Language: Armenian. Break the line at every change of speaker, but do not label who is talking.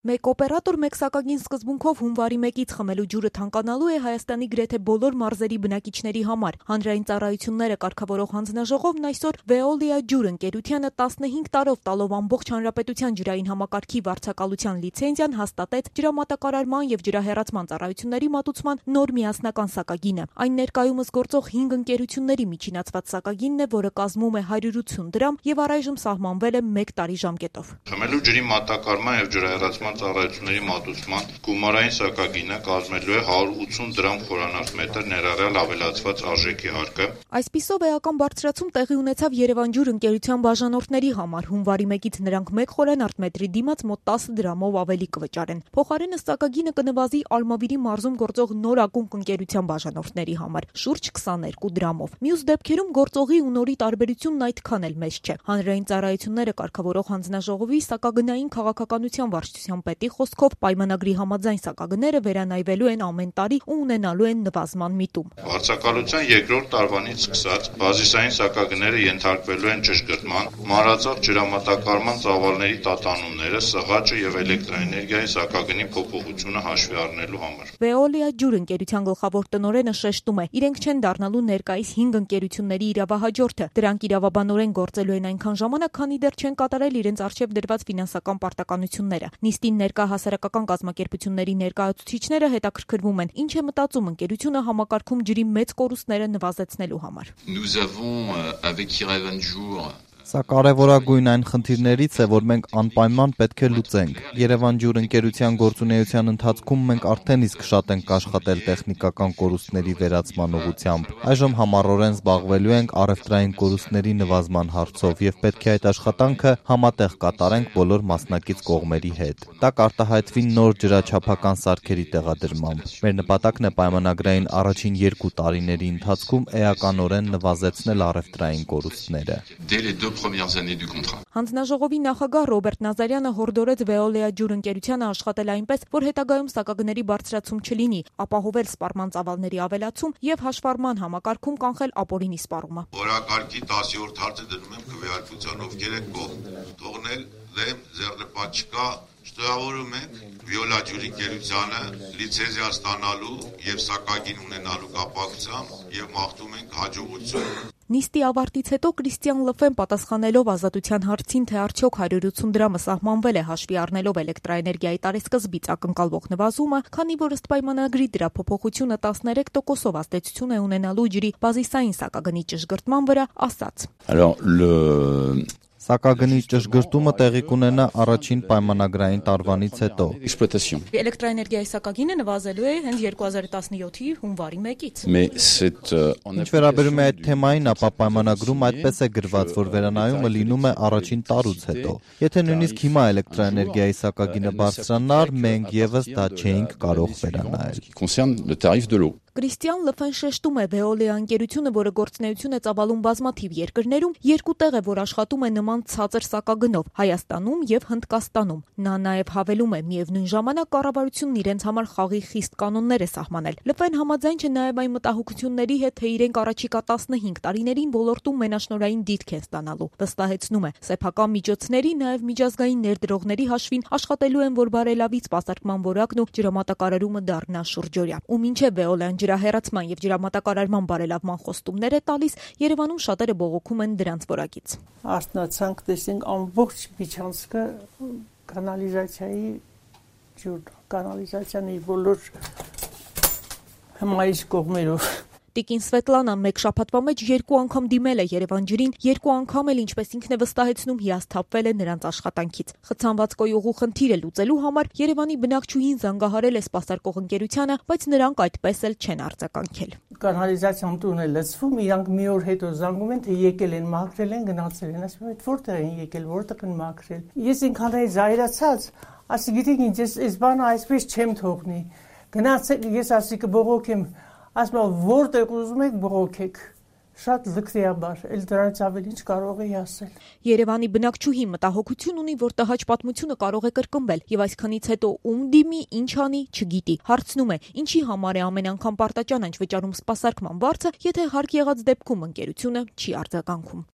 Մեկ օպերատոր մեկ սակագին սկզբունքով հունվարի 1-ից խմելու ջուրը թանկանալու է Հայաստանի գրեթե բոլոր մարզերի բնակիչների համար։ Հանրային ծառայությունները կարգավորող հանձնաժողովն այսօր Veolia ջուր ընկերությանը 15 տարով տալով ամբողջ հանրապետության ջրային համակարգի վարձակալության լիցենզիան հաստատեց ջրամատակարարման եւ ջրահեռացման ծառայությունների մատուցման նոր միասնական սակագինը։ Այն ներկայումս գործող 5 ընկերությունների միջինացված սակագինն է, որը կազմում է 180 դրամ եւ առայժմ սահմանվել է 1 տարի ժամկետով։
Խմելու ջրի մատակարարման եւ ջրահեռացման ծառայությունների մատուցման գումարային սակագինը կազմելու է 180 դրամ խորանարդ ներառյալ ավելացված արժեքի հարկը։
Այսպիսով էական բարձրացում տեղի ունեցավ Երևան ջուր ընկերության բաժանորդների համար։ Հունվարի 1-ից նրանք 1 խորանարդ մետրի դիմաց մոտ 10 դրամով ավելի կվճարեն։ Փոխարենը սակագինը կնվազի Ալմավիրի մարզում գործող նոր ակունք ընկերության բաժանորդների համար շուրջ 22 դրամով։ Մյուս դեպքերում գործողի ու նորի տարբերությունն այդքան էլ մեծ չէ։ Հանրային ծառայությունները կարգավորող հանձնաժողովի սակագնային քաղաքականության վարչության պետի խոսքով պայմանագրի համաձայն սակագները վերանայվելու են ամեն տարի ու ունենալու են նվազման միտում։
Վարձակալության երկրորդ տարվանից սկսած բազիսային սակագները ենթարկվելու են ճշգրտման, մանրածախ ջրամատակարարման ծավալների տատանումները, սղաճը եւ էլեկտրաէներգիայի սակագնի փոփոխությունը հաշվի առնելու համար։
Veolia ջուր ընկերության գլխավոր տնօրենը շեշտում է, իրենք չեն դառնալու ներկայիս 5 ընկերությունների իրավահաջորդը։ Դրանք իրավաբանորեն գործելու են այնքան ժամանակ, քանի դեռ չեն կատարել իրենց արժեվ դրված ֆինանսական պարտականությունները։ Նիստին ներկա հասարակական կազմակերպությունների ներկայացուցիչները հետաքրքրվում են, ինչ է մտածում ընկերությունը համակարգում ջրի մեծ կորուստները նվազեցնելու համար։
Սա կարևորագույն այն խնդիրներից է, որ մենք անպայման պետք է լուծենք։ Երևան ջուր ընկերության գործունեության ընթացքում մենք արդեն իսկ շատ ենք աշխատել տեխնիկական կորուստների վերացման ուղղությամբ։ Այժմ համառորեն զբաղվելու ենք առևտրային կորուստների նվազման հարցով եւ պետք է այդ աշխատանքը համատեղ կատարենք բոլոր մասնակից կողմերի հետ։ Դա կարտահայտվի նոր ջրաչափական սարքերի տեղադրմամբ։ Մեր նպատակն է պայմանագրային առաջին 2 տարիների ընթացքում էականորեն նվազեցնել առևտրային կորուստները։
Հանձնաժողովի նախագահ Ռոբերտ Նազարյանը հորդորեց Veolia ջուր ընկերությանը աշխատել այնպես, որ հետագայում սակագների բարձրացում չլինի, ապահովել սպառման ծավալների ավելացում եւ հաշվառման համակարգում կանխել ապօրինի սպառումը։
Օրակարգի 10-րդ հարցը դնում եմ քվեարկության, ովքեր եք կողմ, թողնել դեմ ձեռնպատ չկա, շտկավորում ենք Veolia ջուր ընկերությանը լիցենզիա ստանալու եւ սակագին ունենալու կապակցությամբ եւ մաղթում ենք հաջողություն։
Նիստի ավարտից հետո Կրիստիան Լըֆեն պատասխանելով ազատության հարցին, թե արդյոք 180 դրամը սահմանվել է հաշվի առնելով էլեկտրաէներգիայի տարեսկզբից ակնկալվող նվազումը, քանի որ ըստ պայմանագրի դրա փոփոխությունը 13%-ով ազդեցություն է ունենալու ջրի բազիսային սակագնի ճշգրտման վրա, ասաց.
Սակագնի ճշգրտումը տեղի կունենա առաջին պայմանագրային տարվանից հետո։
Էլեկտրաէներգիայի սակագինը նվազելու է հենց 2017-ի հունվարի 1-ից։
Ինչ վերաբերում է այդ թեմային, ապա պայմանագրում այդպես է գրված, որ վերանայումը լինում է առաջին տարուց հետո։ Եթե նույնիսկ հիմա էլեկտրաէներգիայի սակագինը բարձրանար, մենք եւս դա չէինք կարող վերանայել։
Կրիստիան Լըֆեն շեշտում է, Veolia ընկերությունը, որը գործունեություն է ծավալում բազմաթիվ երկրներում, 2 տեղ է, որ աշխատում է նման ցածր սակագնով՝ Հայաստանում եւ Հնդկաստանում։ Նա նաեւ հավելում է, միևնույն ժամանակ կառավարությունն իրենց համար խաղի խիստ կանոններ է սահմանել։ Լըֆեն համաձայն չէ նաեւ այն մտահոգությունների հետ, թե իրենք առաջիկա 15 տարիներին ոլորտում մենաշնորհային դիրք են ստանալու։ Վստահեցնում է, սեփական միջոցների, նաեւ միջազգային ներդրողների հաշվին աշխատելու են, որ բարելավի սպասարկման որակն ու ջրամատակարարումը դառնա շուրջօրյա։ Ու մինչեւ Veolia ջրահեռացման եւ ջրամատակարարման բարելավման խոստումներ է տալիս, Երևանում շատերը բողոքում են դրանց որակից։
Արտնացանք տեսնենք ամբողջ միջանցքը կանալիզացիայի ջուր, կանալիզացիայի բոլոր հմայից կողմերով։
Տիկին Սվետլանան մեկ շաբաթվա մեջ 2 անգամ դիմել է Երևան ջրին, 2 անգամ էլ, ինչպես ինքն է վստահեցնում, հիասթափվել է նրանց աշխատանքից։ Խցանված կոյուղու խնդիրը լուծելու համար Երևանի բնակչուհին զանգահարել է սպասարկող ընկերությանը, բայց նրանք այդպես էլ չեն արձագանքել։
Կանալիզացիան տուն է լցվում, իրանք մի օր հետո զանգում են, թե եկել են, մաքրել են, գնացել են, ասում են, որտեղ են եկել, որտեղ են մաքրել։ Ես ինքանից զայրացած, ասի գիտեք ինչ, այս բանը այսպես չեմ թողնի։ Գնացել, ես ասի կբողոքեմ, ասում որտեղ ուզում եք բողոքեք։ Շատ լքվիաբար, էլ դրանից ավելի ինչ կարող էի ասել։
Երևանի բնակչուհի մտահոգություն ունի, որ տհաճ պատմությունը կարող է կրկնվել եւ այսքանից հետո ում դիմի, ինչ անի, չգիտի։ Հարցնում է, ինչի համար է ամեն անգամ պարտաճանանչ վճարում սպասարկման վարձը, եթե հարկ եղած դեպքում ընկերությունը չի արձագանքում։